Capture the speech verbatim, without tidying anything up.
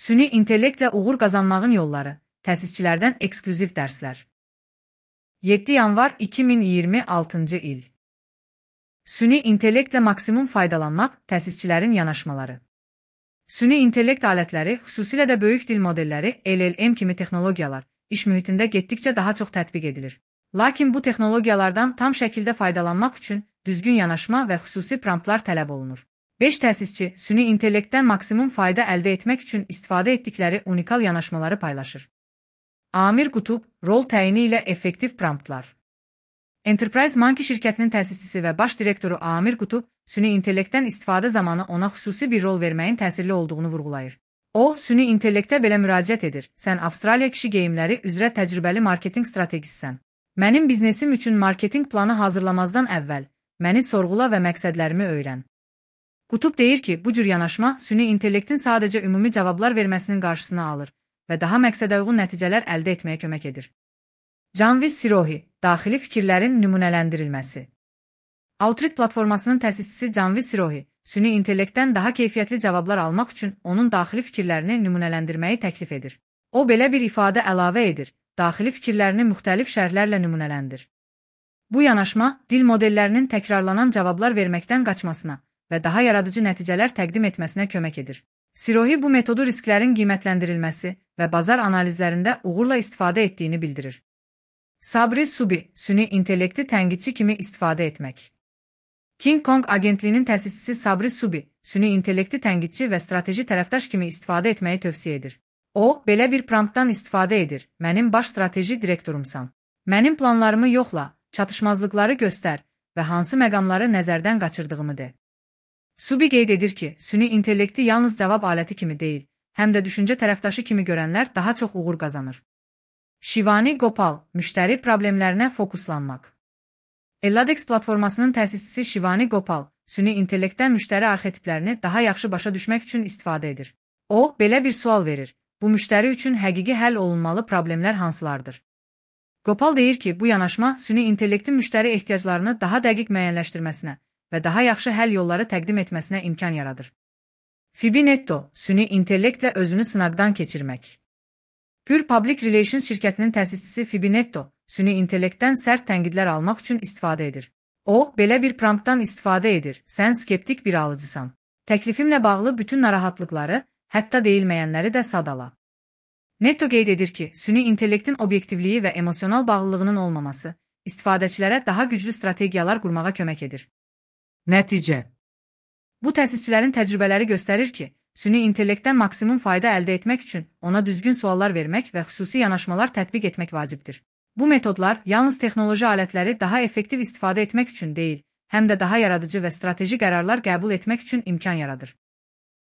Süni intellektlə uğur qazanmağın yolları, təsisçilərdən eksklüziv dərslər. yeddi yanvar iki min iyirmi altıncı il. Süni intellektlə maksimum faydalanmaq, təsisçilərin yanaşmaları. Süni intellekt alətləri, xüsusilə də böyük dil modelləri, L L M kimi texnologiyalar, iş mühitində getdikcə daha çox tətbiq edilir. Lakin bu texnologiyalardan tam şəkildə faydalanmaq üçün düzgün yanaşma və xüsusi promptlar tələb olunur. beş təsisçi süni intellektdən maksimum fayda əldə etmək üçün istifadə etdikləri unikal yanaşmaları paylaşır. Amir Qutub, rol təyini ilə effektiv promptlar. Enterprise Monkey şirkətinin təsisçisi və baş direktoru Amir Qutub, süni intellektdən istifadə zamanı ona xüsusi bir rol verməyin təsirli olduğunu vurğulayır. O, süni intellektə belə müraciət edir: "Sən Avstraliya kişi geyimləri üzrə təcrübəli marketinq strategisisən. Mənim biznesim üçün marketinq planı hazırlamazdan əvvəl məni sorğula və məqsədlərimi öyrən." Qutub deyir ki, bu cür yanaşma süni intellektin sadəcə ümumi cavablar verməsinin qarşısını alır və daha məqsədəuyğun nəticələr əldə etməyə kömək edir. Janvis Sirohi, daxili fikirlərin nümunələndirilməsi. Outreach platformasının təsisçisi Janvis Sirohi, süni intellektdən daha keyfiyyətli cavablar almaq üçün onun daxili fikirlərini nümunələndirməyi təklif edir. O, belə bir ifadə əlavə edir: daxili fikirlərini müxtəlif şərhlərlə nümunələndir. Bu yanaşma, dil modellərinin təkrarlanan cavablar verməkdən qaçmasına və daha yaradıcı nəticələr təqdim etməsinə kömək edir. Sirohi bu metodu risklərin qiymətləndirilməsi və bazar analizlərində uğurla istifadə etdiyini bildirir. Sabri Subi, süni intellekti tənqidçi kimi istifadə etmək. King Kong agentliyinin təsisçisi Sabri Subi, süni intellekti tənqidçi və strateji tərəfdaş kimi istifadə etməyi tövsiyə edir. O, belə bir promptdan istifadə edir: "Mənim baş strateji direktorumsan. Mənim planlarımı yoxla, çatışmazlıqları göstər və hansı məqamları nəzərdən qaçırdığımı de." Subi qeyd edir ki, süni intellekti yalnız cavab aləti kimi deyil, həm də düşüncə tərəfdaşı kimi görənlər daha çox uğur qazanır. Shivani Gopal, müştəri problemlərinə fokuslanmaq. Eladex platformasının təsisçisi Shivani Gopal, süni intellektdən müştəri arxetiplərini daha yaxşı başa düşmək üçün istifadə edir. O, belə bir sual verir: "Bu müştəri üçün həqiqi həll olunmalı problemlər hansılardır?" Gopal deyir ki, bu yanaşma süni intellektin müştəri ehtiyaclarını daha dəqiq müəyyənləşdirməsinə və daha yaxşı həll yolları təqdim etməsinə imkan yaradır. Fibinetto, süni intellektlə özünü sınaqdan keçirmək. Pure Public Relations şirkətinin təsisçisi Fibinetto, süni intellektdən sərt tənqidlər almaq üçün istifadə edir. O, belə bir promptdan istifadə edir: "Sən skeptik bir alıcısan. Təklifimlə bağlı bütün narahatlıqları, hətta deyilməyənləri də sadala." Netto qeyd edir ki, süni intellektin obyektivliyi və emosional bağlılığının olmaması istifadəçilərə daha güclü strategiyalar qurmağa kömək edir. Nəticə. Bu təsisçilərin təcrübələri göstərir ki, süni intellektdən maksimum fayda əldə etmək üçün ona düzgün suallar vermək və xüsusi yanaşmalar tətbiq etmək vacibdir. Bu metodlar yalnız texnoloji alətləri daha effektiv istifadə etmək üçün deyil, həm də daha yaradıcı və strateji qərarlar qəbul etmək üçün imkan yaradır.